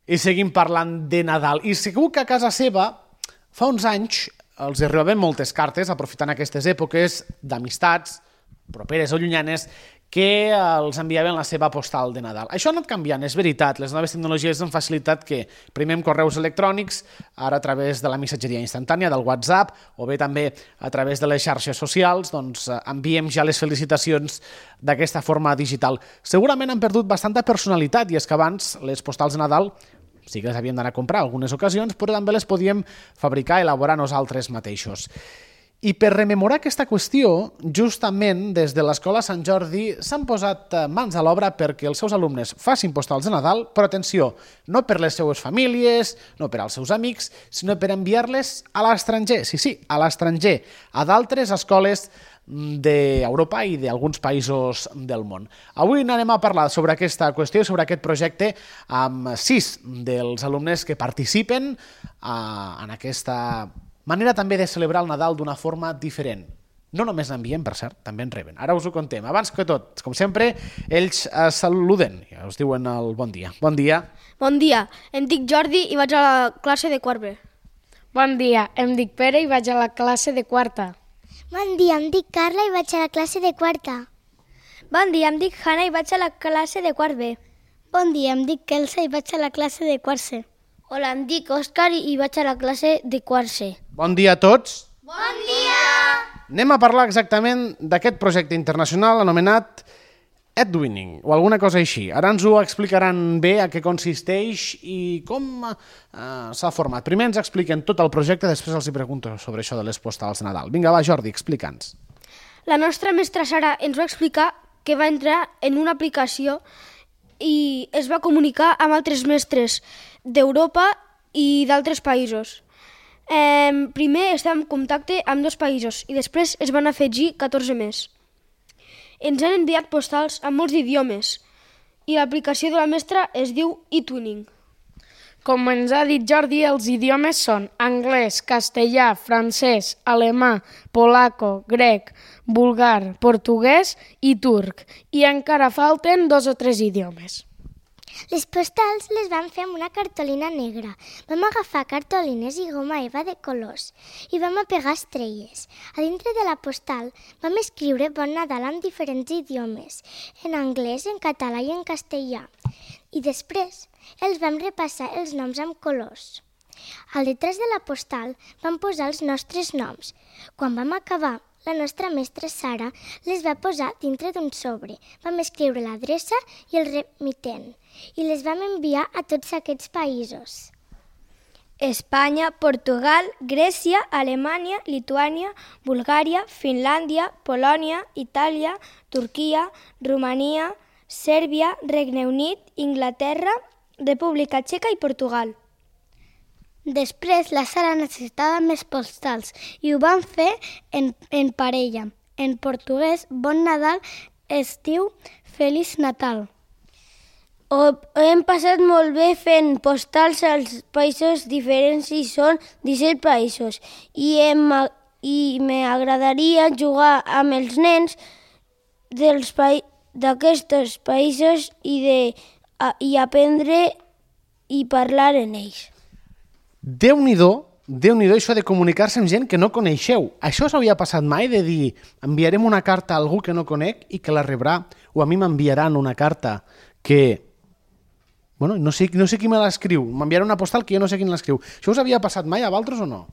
I seguim parlant de Nadal. I segur que a casa seva, fa uns anys, els arribaven moltes cartes, aprofitant aquestes èpoques d'amistats, properes o llunyanes, que els enviaven la seva postal de Nadal. Això ha anat canviant, és veritat. Les noves tecnologies han facilitat que, primer amb correus electrònics, ara a través de la missatgeria instantània, del WhatsApp, o bé també a través de les xarxes socials, doncs enviem ja les felicitacions d'aquesta forma digital. Segurament han perdut bastanta personalitat, i és que abans les postals de Nadal sí que les havíem d'anar a comprar en algunes ocasions, però també les podíem fabricar, elaborar nosaltres mateixos. I per rememorar aquesta qüestió, justament des de l'Escola Sant Jordi s'han posat mans a l'obra perquè els seus alumnes facin postals de Nadal, però atenció, no per les seues famílies, no per als seus amics, sinó per enviar-les a l'estranger, sí, a l'estranger, a d'altres escoles d'Europa i d'alguns països del món. Avui anem a parlar sobre aquesta qüestió i sobre aquest projecte amb 6 dels alumnes que participen en aquesta manera també de celebrar el Nadal d'una forma diferent. No només n'enviem, per cert, també en reben. Ara us ho contem. Abans que tot, com sempre, ells saluden, ja us diuen el bon dia. Bon dia. Bon dia, em dic Jordi i vaig a la classe de quart B. Bon dia, em dic Pere i vaig a la classe de quarta. Bon dia, em dic Carla i vaig a la classe de quarta. Bon dia, em dic Hanna i vaig a la classe de quart B. Bon dia, em dic Elsa i vaig a la classe de quart C. Hola, em dic Òscar i vaig a la classe de quart C. Bon dia a tots. Bon dia! Anem a parlar exactament d'aquest projecte internacional anomenat Edwinning, o alguna cosa així. Ara ens ho explicaran bé a què consisteix i com s'ha format. Primer ens expliquen tot el projecte, després els pregunto sobre això de les postals de Nadal. Vinga, va, Jordi, explica'ns. La nostra mestra Sara ens va explicar que va entrar en una aplicació i es va comunicar amb altres mestres d'Europa i d'altres països. Primer estàvem en contacte amb 2 països i després es van afegir 14 més. Ens han enviat postals amb molts idiomes i l'aplicació de la mestra es diu eTwinning. Com ens ha dit Jordi, els idiomes són anglès, castellà, francès, alemà, polaco, grec, bulgar, portuguès i turc. I encara falten 2 o 3 idiomes. Les postals les vam fer amb una cartolina negra. Vam agafar cartolines i goma eva de colors i vam apegar estrelles. A dintre de la postal vam escriure Bon Nadal en diferents idiomes, en anglès, en català i en castellà. I després els vam repassar els noms amb colors. Al detrás de la postal vam posar els nostres noms. Quan vam acabar, la nostra mestra Sara les va posar dintre d'un sobre. Vam escriure l'adreça i el remitent i les vam enviar a tots aquests països. Espanya, Portugal, Grècia, Alemanya, Lituània, Bulgària, Finlàndia, Polònia, Itàlia, Turquia, Romania, Sèrbia, Regne Unit, Inglaterra, República Txeca i Portugal. Després la Sara necessitava més postals i ho vam fer en parella. En portuguès, Bon Nadal es diu Feliç Natal. Ho hem passat molt bé fent postals als països diferents i són 17 països. I m'agradaria jugar amb els nens d'aquests països i aprendre i parlar en ells. Déu-n'hi-do això de comunicar-se amb gent que no coneixeu. Això us havia passat mai de dir enviarem una carta a algú que no conec i que la rebrà, o a mi m'enviaran una carta que bueno, no sé qui me l'escriu, m'enviarà una postal que jo no sé qui l'escriu. Això us havia passat mai a vosaltres o no?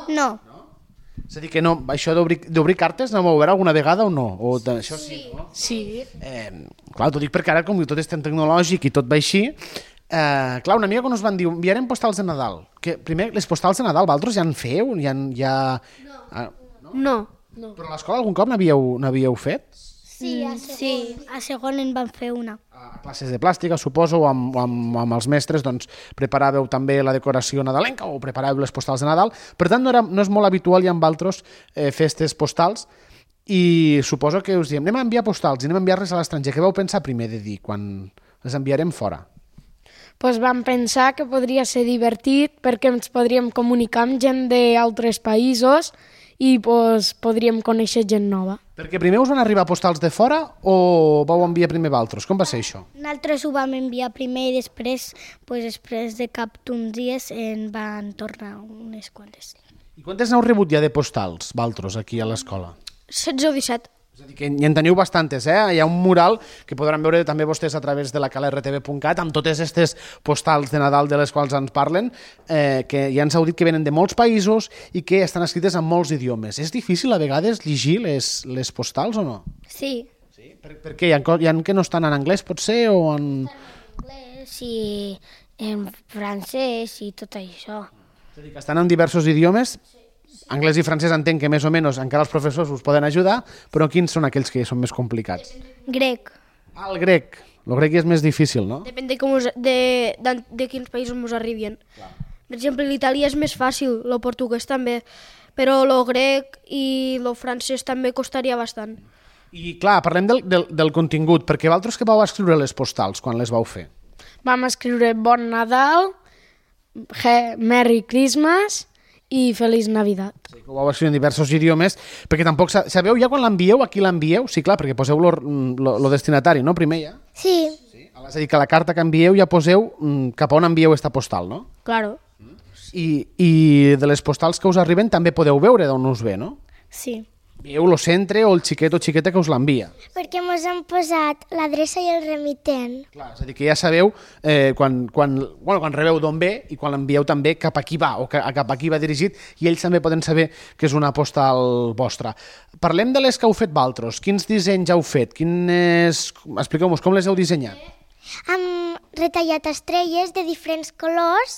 No. És a dir, que no, això d'obrir cartes no m'ho veurà alguna vegada o no? O això sí, no? Sí. Clar, t'ho dic perquè ara com tot és tan tecnològic i tot va així. Clar, una amiga quan us van dir enviarem postals de Nadal, que primer les postals de Nadal vosaltres ja en feu? No. Però a l'escola algun cop n'havíeu fet? Sí, a segon en vam fer una. A classes de plàstica, suposo, o amb els mestres, doncs preparàveu també la decoració nadalenca o preparàveu les postals de Nadal. Per tant, no és molt habitual ja amb altres festes postals i suposo que us diem anem a enviar postals i anem a enviar-les a l'estranger. Què vau pensar primer de dir quan les enviarem fora? Doncs vam pensar que podria ser divertit perquè ens podríem comunicar amb gent d'altres països i podríem conèixer gent nova. Perquè primer us van arribar postals de fora o vau enviar primer valtros? Com va ser això? Nosaltres ho vam enviar primer i després, després de cap d'uns dies, en van tornar unes quantes. I quantes n'heu rebut ja de postals, valtros, aquí a l'escola? 16 o 17. És a dir, que hi en teniu bastantes, eh? Hi ha un mural que podran veure també vostès a través de la calertv.cat amb totes aquestes postals de Nadal de les quals ens parlen, que ja ens heu dit que venen de molts països i que estan escrites en molts idiomes. És difícil a vegades llegir les postals o no? Sí. Sí? Per què? Hi ha que no estan en anglès, potser, o en... Anglès i en francès i tot això. És a dir, que estan en diversos idiomes. Anglès i francès entenc que més o menys encara els professors us poden ajudar, però quins són aquells que són més complicats? Grec. Ah, el grec. El grec és més difícil, no? Depèn de, de quins països ens arribin. Per exemple, l'italià és més fàcil, el portuguès també, però el grec i el francès també costaria bastant. I clar, parlem del contingut, perquè vosaltres que vau escriure les postals quan les vau fer? Vam escriure Bon Nadal, Merry Christmas i Feliç Navidad. Sí, que ho vau escriure en diversos idiomes, perquè tampoc sabeu ja quan l'envieu, a qui l'envieu? Sí, clar, perquè poseu lo destinatari, no? Primer ja. Sí. Sí. És a dir, que la carta que envieu ja poseu cap a on envieu esta postal, no? Claro. I de les postals que us arriben també podeu veure d'on us ve, no? Sí. Veieu el centre o el xiquet o xiqueta que us l'envia. Perquè mos han posat l'adreça i el remitent. Clar, és a dir, que ja sabeu quan rebeu d'on ve i quan l'envieu també cap a qui va o cap a qui va dirigit, i ells també poden saber que és una postal vostra. Parlem de les que heu fet vosaltres. Quins dissenys heu fet? Expliqueu-nos com les heu dissenyat. Hem retallat estrelles de diferents colors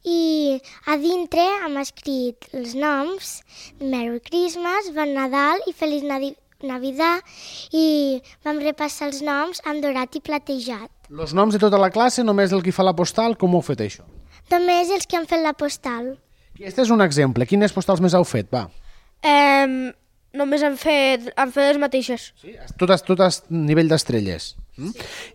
i a dintre hem escrit els noms Merry Christmas, Bon Nadal i Feliç Navidad, i vam repassar els noms amb dorat i platejat. Els noms de tota la classe, només el qui fa la postal, com ho heu fet això? Només els que han fet la postal. Aquest és un exemple. Quines postals més heu fet? Va. Només han fet les mateixes. Sí? Tot a nivell d'estrelles.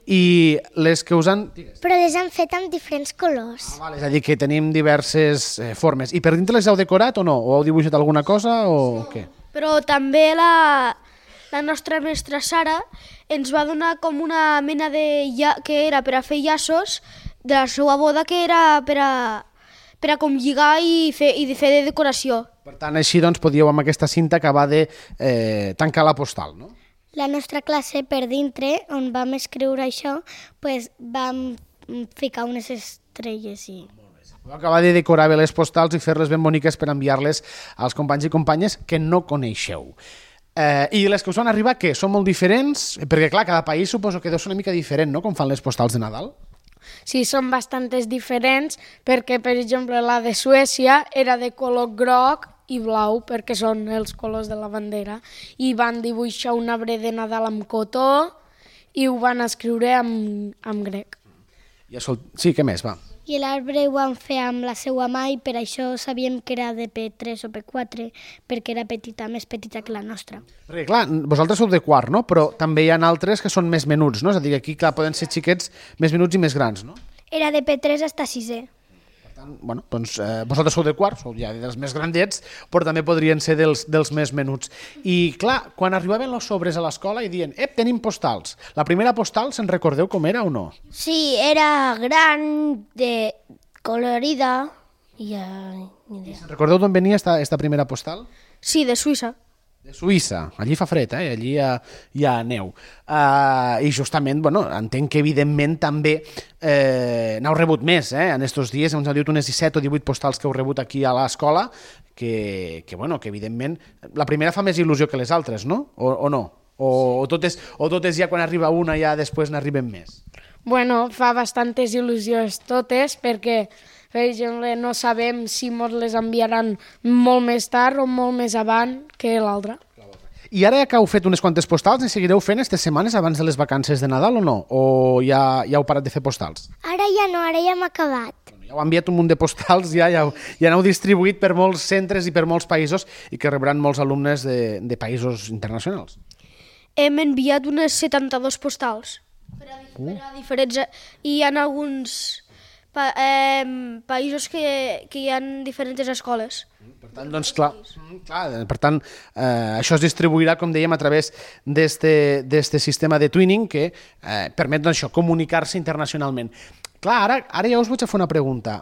I les que us han... Però les han fet amb diferents colors. És a dir, que tenim diverses formes. I per dintre les heu decorat o no? O heu dibuixat alguna cosa o què? Però també la nostra mestra Sara ens va donar com una mena que era per a fer llaços de la seva boda, que era per a com lligar i fer de decoració. Per tant, així doncs, podíeu amb aquesta cinta acabar de tancar la postal, no? La nostra classe, per dintre, on vam escriure això, vam ficar unes estrelles i... Podeu acabar de decorar bé les postals i fer-les ben boniques per enviar-les als companys i companyes que no coneixeu. I les que us van arribar, què? Són molt diferents? Perquè, clar, cada país suposo que deu ser una mica diferent, no?, com fan les postals de Nadal. Sí, són bastantes diferents perquè, per exemple, la de Suècia era de color groc i blau, perquè són els colors de la bandera, i van dibuixar un arbre de Nadal amb cotó i ho van escriure amb grec. Sí, què més, va? I l'arbre ho van fer amb la seva mà i per això sabíem que era de P3 o P4, perquè era més petita que la nostra. Perquè, clar, vosaltres sou de quart, no? Però també hi ha altres que són més menuts, no? És a dir, aquí, clar, poden ser xiquets més menuts i més grans, no? Era de P3 fins a 6è. Per tant, bueno, doncs vosaltres sou de quart, sou ja dels més grandets, però també podrien ser dels més menuts. I, clar, quan arribaven els sobres a l'escola i diuen, tenim postals. La primera postal, se'n recordeu com era o no? Sí, era gran, colorida i... Se'n recordeu d'on venia esta primera postal? Sí, de Suïssa. De Suïssa. Allí fa fred, allí hi ha neu. I justament, bueno, entenc que evidentment també n'heu rebut més, en estos dies. Ens heu dit unes 17 o 18 postals que heu rebut aquí a l'escola, que evidentment la primera fa més il·lusió que les altres, no? O no? O totes ja quan arriba una ja després n'arriben més? Bueno, fa bastantes il·lusions totes perquè, per exemple, no sabem si ens les enviaran molt més tard o molt més avant que l'altra. I ara que heu fet unes quantes postals, ne seguireu fent aquestes setmanes abans de les vacances de Nadal o no? O ja heu parat de fer postals? Ara ja no, ara ja hem acabat. Ja heu enviat un munt de postals, ja n'heu distribuït per molts centres i per molts països i que rebran molts alumnes de països internacionals. Hem enviat unes 72 postals per a diferents... I hi ha alguns països que hi ha diferents escoles. Per tant, doncs, clar, per tant, això es distribuirà, com dèiem, a través d'este sistema de twinning que permet doncs, això, comunicar-se internacionalment. Clar, ara ja us vaig a fer una pregunta.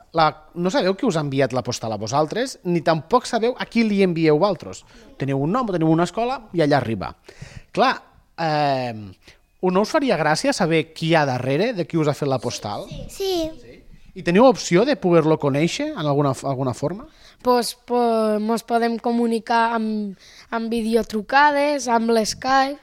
No sabeu qui us ha enviat la postal a vosaltres, ni tampoc sabeu a qui li envieu vosaltres. Teniu un nom, teniu una escola i allà arriba. Clar, no us faria gràcia saber qui hi ha darrere, de qui us ha fet la postal? Sí. I teniu opció de poder-lo conèixer en alguna forma? Pues mos podem comunicar amb videotrucades, amb l'Skype.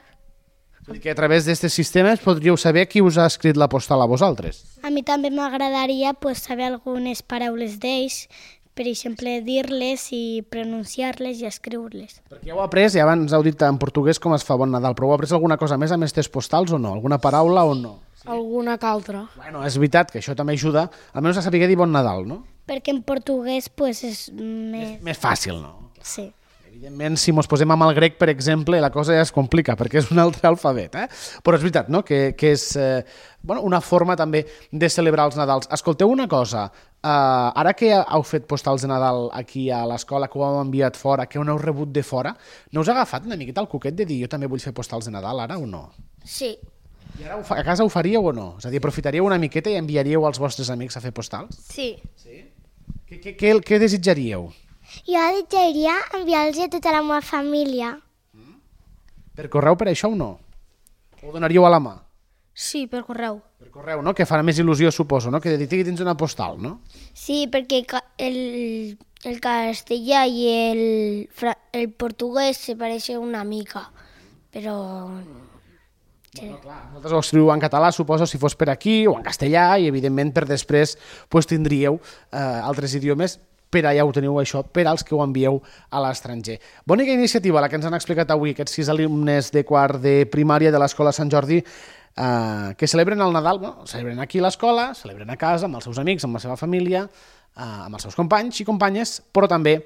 És a dir, que a través d'aquests sistemes podríeu saber qui us ha escrit la postal a vosaltres. A mi també m'agradaria saber algunes paraules d'ells, per exemple, dir-les i pronunciar-les i escriure-les. Perquè ja heu après, ja abans heu dit en portuguès com es fa Bon Nadal, però heu après alguna cosa més amb aquestes postals o no? Alguna paraula o no? Alguna que altra. Bueno, és veritat que això també ajuda, almenys a saber dir Bon Nadal, no? Perquè en portuguès és Més fàcil, no? Sí. Evidentment, si ens posem amb el grec, per exemple, la cosa ja es complica, perquè és un altre alfabet, Però és veritat, no?, que és una forma també de celebrar els Nadals. Escolteu una cosa, ara que heu fet postals de Nadal aquí a l'escola, que ho heu enviat fora, que ho heu rebut de fora, no us ha agafat una miqueta el coquet de dir jo també vull fer postals de Nadal ara o no? Sí. I ara a casa ho faríeu o no? És a dir, aprofitaríeu una miqueta i enviaríeu als vostres amics a fer postals? Sí. Què desitjaríeu? Jo desitjaria enviar-los a tota la meva família. Per correu per això o no? O ho donaríeu a la mà? Sí, per correu. Per correu, no? Que farà més il·lusió, suposo, no? Que de dir que tens una postal, no? Sí, perquè el castellà i el portuguès se pareixen una mica, però... Bueno, clar, vosaltres ho escriu en català, suposo, si fos per aquí, o en castellà, i evidentment per després tindríeu altres idiomes, per allà ho teniu això, per als que ho envieu a l'estranger. Bonica iniciativa la que ens han explicat avui aquests 6 alumnes de quart de primària de l'Escola Sant Jordi que celebren el Nadal, celebren aquí a l'escola, celebren a casa, amb els seus amics, amb la seva família, amb els seus companys i companyes, però també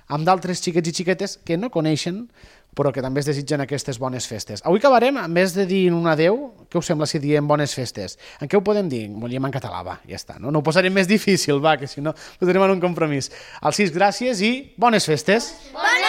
amb d'altres xiquets i xiquetes que no coneixen, però que també es desitgen aquestes bones festes. Avui acabarem, en vez de dir un adeu, què us sembla si diem bones festes? En què ho podem dir? Ho diem en català, va, ja està. No ho posarem més difícil, va, que si no posarem en un compromís. Al 6, gràcies i bones festes! Bones